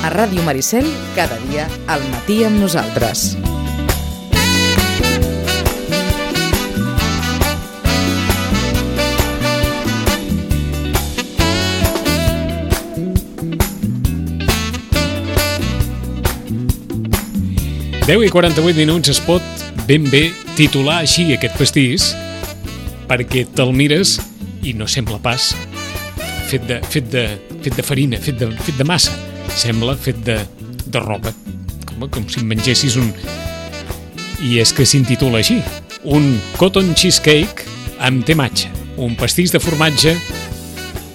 A Ràdio Maricel, cada dia al matí amb nosaltres. Deu i 48 minuts. Es pot ben bé titular així aquest pastís perquè te'l mires i no sembla pas fet de farina, fet de massa. Sembla fet de roba, com si mengessis un... I és que s'intitula així, un cotton cheesecake amb tematge, un pastís de formatge,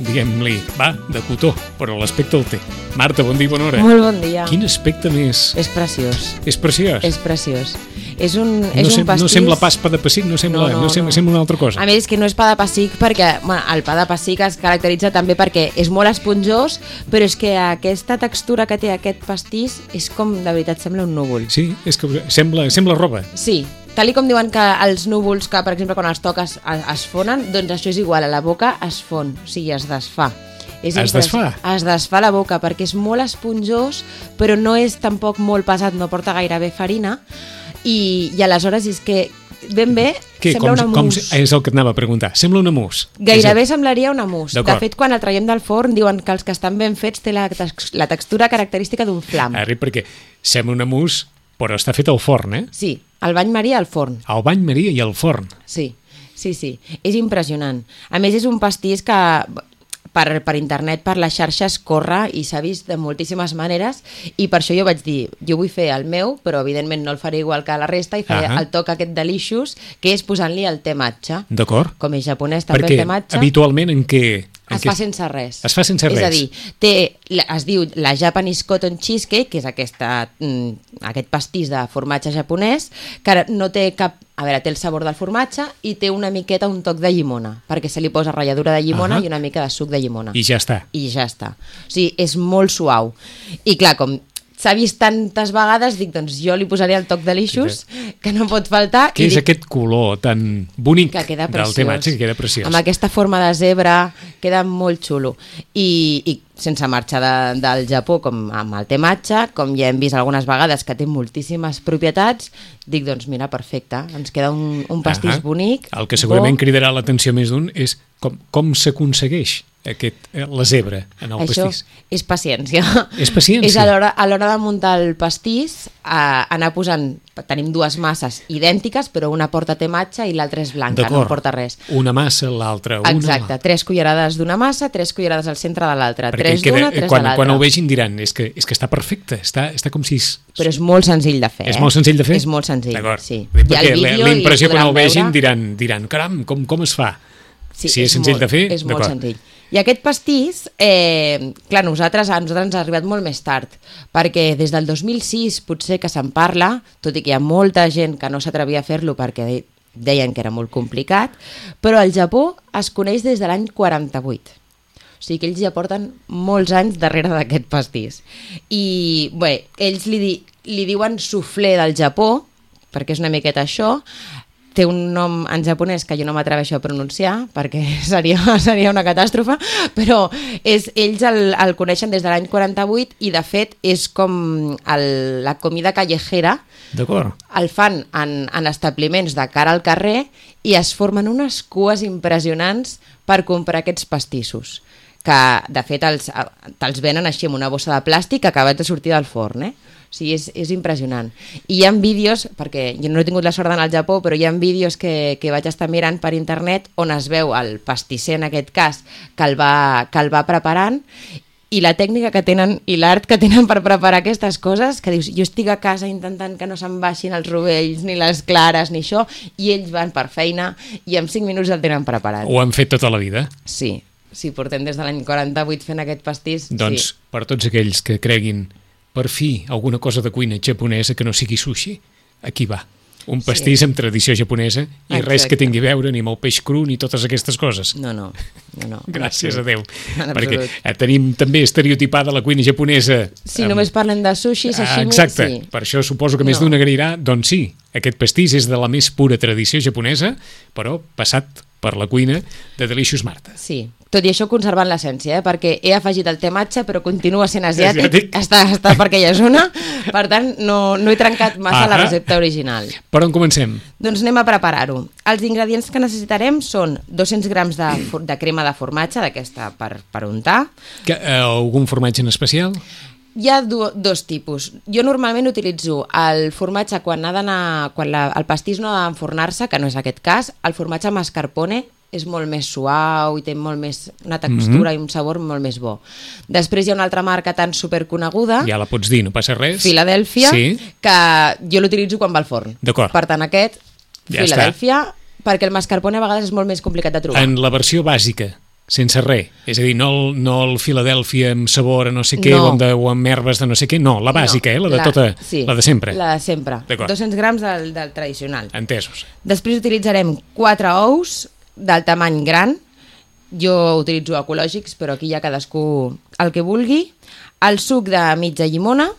diguem-li, de cotó, però l'aspecte el té. Marta, bon dia i bona hora. Molt bon dia. Quin aspecte més... És preciós. És preciós? És preciós. És un pastís... No sembla pas pa de pessic, no sembla una altra cosa. A més, és que no és pa de pessic perquè el pa de pessic es caracteritza també perquè és molt esponjós, però és que aquesta textura que té aquest pastís és com, de veritat, sembla un núvol. Sí, és que sembla roba. Sí, tal com diuen que els núvols, que per exemple quan els toques es fonen, doncs això és igual, a la boca es fon, o sigui, es desfà. Es desfà la boca perquè és molt esponjós, però no és tampoc molt pesat, no porta gairebé farina, i aleshores és que ben bé sembla una mousse. És el que et anava a preguntar, sembla una mousse. Gairebé semblaria una mousse. De fet, quan el traiem del forn diuen que els que estan ben fets té la textura característica d'un flam. Perquè sembla una mousse, però està fet al forn, eh? Sí, al bany maria al forn. Al bany maria i al forn. Sí, és impressionant. A més, és un pastís que... Per internet, per les xarxes, corre i s'ha vist de moltíssimes maneres i per això jo vaig dir, jo vull fer el meu, però evidentment no el faré igual que la resta i faré el toc aquest delicious, que és posant-li el te matcha. D'acord. Com és japonès també el te matcha. Perquè habitualment en què... Es fa sense res. Es fa sense res. És a dir, es diu la Japanese Cotton Cheesecake, que és aquest pastís de formatge japonès, que no té cap... A veure, té el sabor del formatge i té una miqueta, un toc de llimona, perquè se li posa ratlladura de llimona i una mica de suc de llimona. I ja està. O sigui, és molt suau. I clar, com s'ha vist tantes vegades, dic, doncs jo li posaré el toc delicious, que no pot faltar. Què és aquest color tan bonic del tematge, que queda preciós? Amb aquesta forma de zebra, queda molt xulo. I sense marxar del Japó, com amb el tematge, com ja hem vist algunes vegades que té moltíssimes propietats, dic, doncs mira, perfecte, ens queda un pastís bonic. El que segurament cridarà l'atenció més d'un és com s'aconsegueix la zebra en el pastís. Això és paciència. És paciència. És a l'hora de muntar el pastís, anar posant, tenim dues masses idèntiques, però una porta tematge i l'altra és blanca, no porta res. Una massa, l'altra una. Exacte, 3 cullerades d'una massa, 3 cullerades al centre de l'altra, 3 d'una, 3 de l'altra. Quan ho vegin diran, és que està perfecte, està com si... Però és molt senzill de fer. És molt senzill de fer? És molt senzill, d'acord. Sí. Perquè la impressió quan ho vegin diran, caram, com es fa? Sí, si és senzill de fer, és molt senzill. I aquest pastís, clar, a nosaltres ens ha arribat molt més tard, perquè des del 2006 potser que se'n parla, tot i que hi ha molta gent que no s'atrevia a fer-lo perquè deien que era molt complicat, però al Japó es coneix des de l'any 48. O sigui que ells ja porten molts anys darrere d'aquest pastís. I bé, ells li diuen soufflé del Japó, perquè és una miqueta això. Té un nom en japonès que jo no m'atreveixo a pronunciar perquè seria una catàstrofe, però ells el coneixen des de l'any 48 i de fet és com la comida callejera. D'acord. El fan en establiments de cara al carrer i es formen unes cues impressionants per comprar aquests pastissos, que de fet te'ls venen així amb una bossa de plàstic acabat de sortir del forn, O sigui, és impressionant. I hi ha vídeos, perquè jo no he tingut la sort d'anar al Japó, però hi ha vídeos que vaig estar mirant per internet on es veu el pastisser, en aquest cas, que el va preparant, i la tècnica que tenen i l'art que tenen per preparar aquestes coses, que dius, jo estic a casa intentant que no se'n baixin els rovells, ni les clares, ni això, i ells van per feina i en 5 minuts el tenen preparat. Ho han fet tota la vida? Sí, portem des de l'any 48 fent aquest pastís. Doncs per tots aquells que creguin per fi alguna cosa de cuina japonesa que no sigui sushi, aquí va. Un pastís amb tradició japonesa i res que tingui a veure ni amb el peix cru ni totes aquestes coses. No. Gràcies a Déu. Perquè tenim també estereotipada la cuina japonesa. Si només parlen de sushi, sashimi... Exacte, per això suposo que més d'una agrairà. Doncs sí, aquest pastís és de la més pura tradició japonesa, però passat per la cuina de Delicious Marta. Sí, Tot i això conservant l'essència, perquè he afegit el te matxa però continua sent asiàtic. Asiàtic. Està perquè ja és una, per tant no he trencat massa la recepta original. Per on comencem? Doncs anem a preparar-ho. Els ingredients que necessitarem són 200 grams de crema de formatge, d'aquesta per untar. Algun formatge en especial? Hi ha dos tipus. Jo normalment utilitzo el formatge quan el pastís no ha d'enfornar-se, que no és aquest cas. El formatge mascarpone és molt més suau i té molt més una textura i un sabor molt més bo. Després hi ha una altra marca tan superconeguda, Ja la pots dir, no passa res. Filadèlfia, Sí. que jo l'utilitzo quan va al forn. D'acord. Per tant, aquest, Ja Filadèlfia, perquè el mascarpone a vegades és molt més complicat de trobar. En la versió bàsica, sense res. És a dir, no el Filadèlfia amb sabor a no sé què No. o amb herbes de no sé què. No, la bàsica, No, la de sempre. La de sempre. D'acord. 200 grams del tradicional. Entesos. Després utilitzarem 4 ous del tamany gran. Jo utilitzo ecològics, però aquí ja cadascú el que vulgui. El suc de mitja llimona,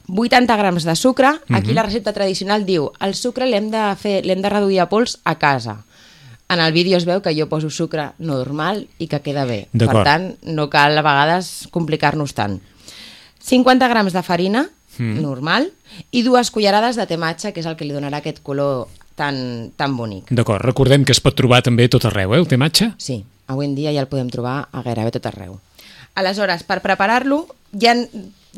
80 grams de sucre. Aquí la recepta tradicional diu el sucre l'hem de reduir a pols a casa. En el vídeo es veu que jo poso sucre normal i que queda bé. Per D'acord. tant, no cal a vegades complicar-nos tant. 50 grams de farina, normal, i 2 cullerades de te matxa, que és el que li donarà aquest color tan bonic. D'acord, recordem que es pot trobar també a tot arreu, el te matxa? Sí, avui en dia ja el podem trobar a gairebé tot arreu. Aleshores, per preparar-lo, hi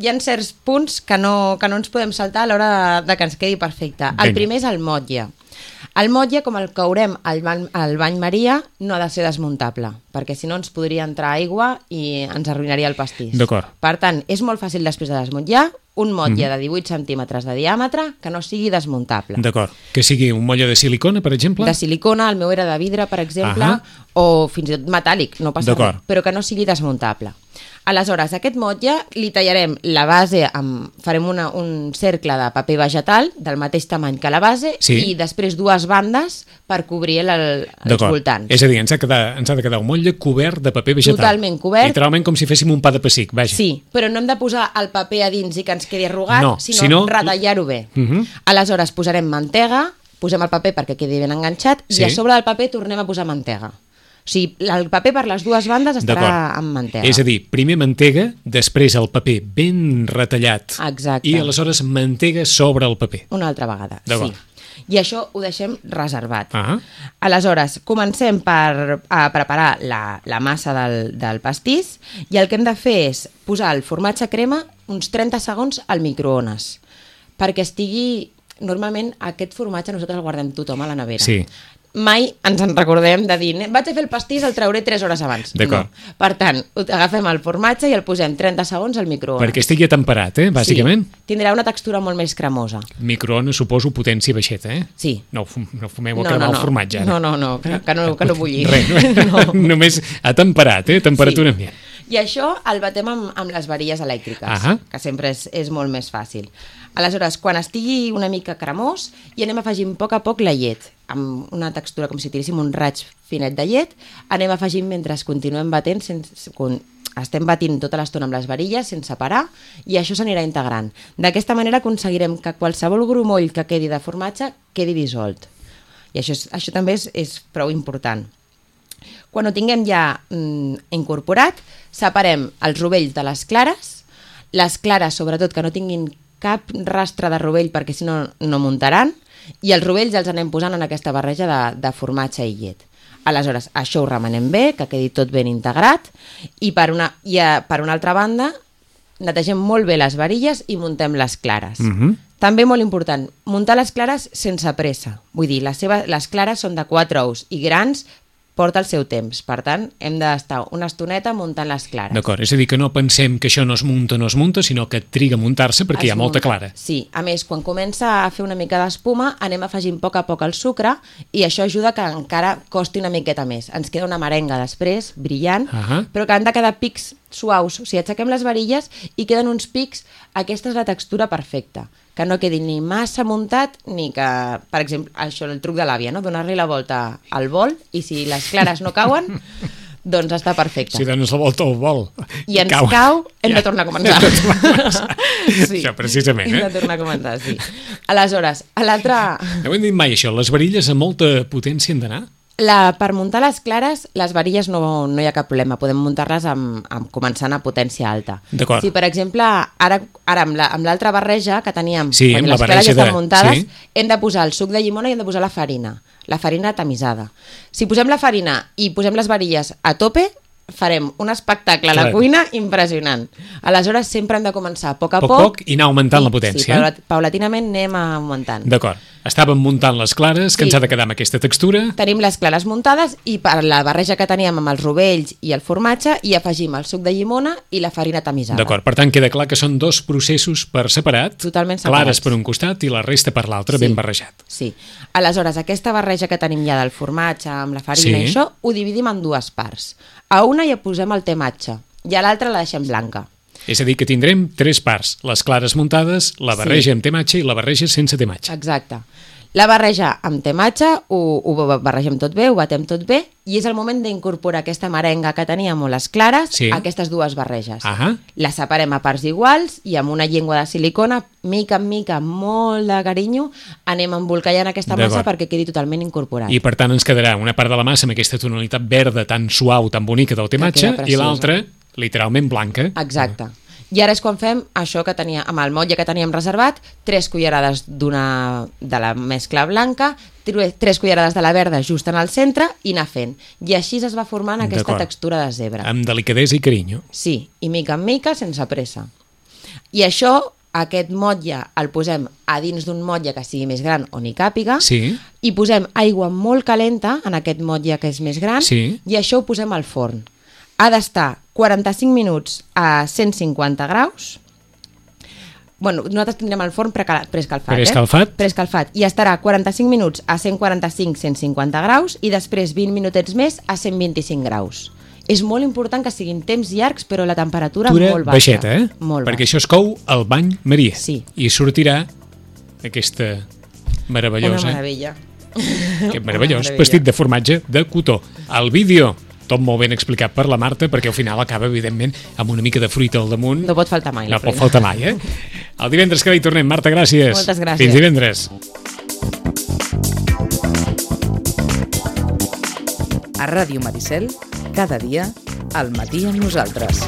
ha certs punts que no ens podem saltar a l'hora de que ens quedi perfecte. El Vinga. primer és el motlle. El motlle, com el courem al bany Maria, no ha de ser desmuntable, perquè si no ens podria entrar aigua i ens arruïnaria el pastís. D'acord. Per tant, és molt fàcil després de desmuntar un motlle de 18 centímetres de diàmetre que no sigui desmuntable. D'acord. Que sigui un motlle de silicona, per exemple? De silicona, el meu era de vidre, per exemple, Ahà. o fins i tot metàl·lic, no passa D'acord. res, però que no sigui desmuntable. Aleshores, aquest motlle li tallarem la base, farem un cercle de paper vegetal del mateix tamany que la base Sí. i després 2 bandes per cobrir els D'acord. voltants. És a dir, ens ha de quedar un motlle cobert de paper vegetal. Totalment cobert. Literalment com si féssim un pa de pessic, vaja. Sí, però no hem de posar el paper a dins i que ens quedi arrugat, No, sinó sinó- retallar-ho bé. Aleshores posarem mantega, posem el paper perquè quedi ben enganxat Sí. i a sobre del paper tornem a posar mantega. O sigui, el paper per les 2 bandes estarà D'acord. amb mantega. És a dir, primer mantega, després el paper ben retallat. Exacte. I aleshores mantega sobre el paper. Una altra vegada, D'acord. sí. I això ho deixem reservat. Ah. Aleshores, comencem a preparar la massa del pastís i el que hem de fer és posar el formatge crema uns 30 segons al microones perquè estigui... Normalment aquest formatge nosaltres el guardem tothom a la nevera. Sí. Mai ens en recordem de dir vaig a fer el pastís, el trauré 3 hores abans. D'acord. No. Per tant, agafem el formatge i el posem 30 segons al microones. Perquè estigui atemperat, bàsicament. Sí, tindrà una textura molt més cremosa. Microones, suposo, potència baixeta, Sí. No fumeu a cremar el formatge, ara. No, que no bulli. Res, No. només atemperat, temperatura ambient. I això el batem amb les varilles elèctriques, Ahà. que sempre és molt més fàcil. Aleshores, quan estigui una mica cremós, hi anem afegint a poc la llet, amb una textura com si tiréssim un raig finet de llet, anem afegint mentre continuem batent, estem batint tota l'estona amb les varilles sense parar i això s'anirà integrant. D'aquesta manera aconseguirem que qualsevol grumoll que quedi de formatge quedi dissolt. I això també és prou important. Quan ho tinguem ja incorporat, separem els rovells de les clares sobretot que no tinguin cap rastre de rovell perquè si no no muntaran, i els rovells els anem posant en aquesta barreja de formatge i llet. Aleshores, això ho remenem bé, que quedi tot ben integrat, i per una altra banda netegem molt bé les varilles i muntem les clares. També molt important, muntar les clares sense pressa. Vull dir, les clares són de 4 ous i grans, porta el seu temps. Per tant, hem d'estar una estoneta muntant les clares. D'acord, és a dir, que no pensem que això no es munta, sinó que triga a muntar-se perquè hi ha molta clara. Sí, a més, quan comença a fer una mica d'espuma, anem afegint a poc el sucre i això ajuda que encara costi una miqueta més. Ens queda una merenga després, brillant, però que han de quedar pics suaus. O sigui, aixequem les varilles i queden uns pics. Aquesta és la textura perfecta, que no quedi ni massa muntat ni que, per exemple, això, el truc de l'àvia, no? Donar-li la volta al bol i si les clares no cauen, doncs està perfecte. Si dones la volta al bol i ens cau, hem de tornar a començar. Sí. Això, precisament. Hem de tornar a començar, sí. Aleshores, a l'altre... No ho hem dit mai, això. Les varilles amb molta potència han d'anar? Per muntar les clares, les varilles no hi ha cap problema. Podem muntar-les començant a potència alta. D'acord. Si, per exemple, ara amb l'altra barreja que teníem, Sí, amb la les clares barreja ja estan de- muntades, sí. hem de posar el suc de llimona i hem de posar la farina tamisada. Si posem la farina i posem les varilles a tope, farem un espectacle a la Clar. cuina impressionant. Aleshores, sempre hem de començar a poc a Poc i anar augmentant la potència. Sí, paulatinament anem augmentant. D'acord. Estàvem muntant les clares, que Sí. ens ha de quedar amb aquesta textura. Tenim les clares muntades i per la barreja que teníem amb els rovells i el formatge hi afegim el suc de llimona i la farina tamisada. D'acord, per tant queda clar que són dos processos per separat, Totalment separats. clares per un costat i la resta per l'altre, Sí. ben barrejat. Sí. Aleshores, aquesta barreja que tenim ja del formatge amb la farina Sí. i això, ho dividim en dues parts. A una hi posem el tematge i a l'altra la deixem blanca. És a dir, que tindrem tres parts, les clares muntades, la barreja amb tematge i la barreja sense tematge. Exacte. La barreja amb tematge, ho barregem tot bé, ho batem tot bé, i és el moment d'incorporar aquesta merenga que teníem o les clares Sí. a aquestes dues barreges. Ahà. Les separem a parts iguals i amb una llengua de silicona, mica en mica, amb molt de carinyo, anem embolcallant aquesta massa D'acord. perquè quedi totalment incorporat. I per tant ens quedarà una part de la massa amb aquesta tonalitat verda tan suau, tan bonica del tematge, queda i preciosa. l'altra literalment blanca. Exacte. I ara és quan fem això que tenia, amb el motlle que teníem reservat, 3 cullerades de la mescla blanca, 3 cullerades de la verda just en el centre i anar fent. I així es va formant aquesta D'acord. textura de zebra. Amb delicadesa i carinyo. Sí, i mica en mica, sense pressa. I això, aquest motlle, el posem a dins d'un motlle que sigui més gran o n'hi càpiga, Sí. i posem aigua molt calenta en aquest motlle que és més gran, Sí. i això ho posem al forn. Ha d'estar 45 minuts a 150 graus. Bueno, nosaltres tindrem el forn preescalfat. Preescalfat. Preescalfat. I estarà 45 minuts a 145-150 graus i després 20 minutets més a 125 graus. És molt important que siguin temps llargs, però la temperatura molt baixa. baixeta, eh? Molt Perquè baixa. això es cou al bany Maria. Sí. I sortirà aquesta Una meravellosa, meravella. aquest Una meravellós meravella. vestit de formatge de cotó. El vídeo, tot molt ben explicat per la Marta, perquè al final acaba, evidentment, amb una mica de fruita al damunt. No pot faltar mai. No la pot fruita. faltar mai, eh? El divendres que ve hi tornem. Marta, gràcies. Moltes gràcies. Fins divendres. A Ràdio Maricel, cada dia, al matí amb nosaltres.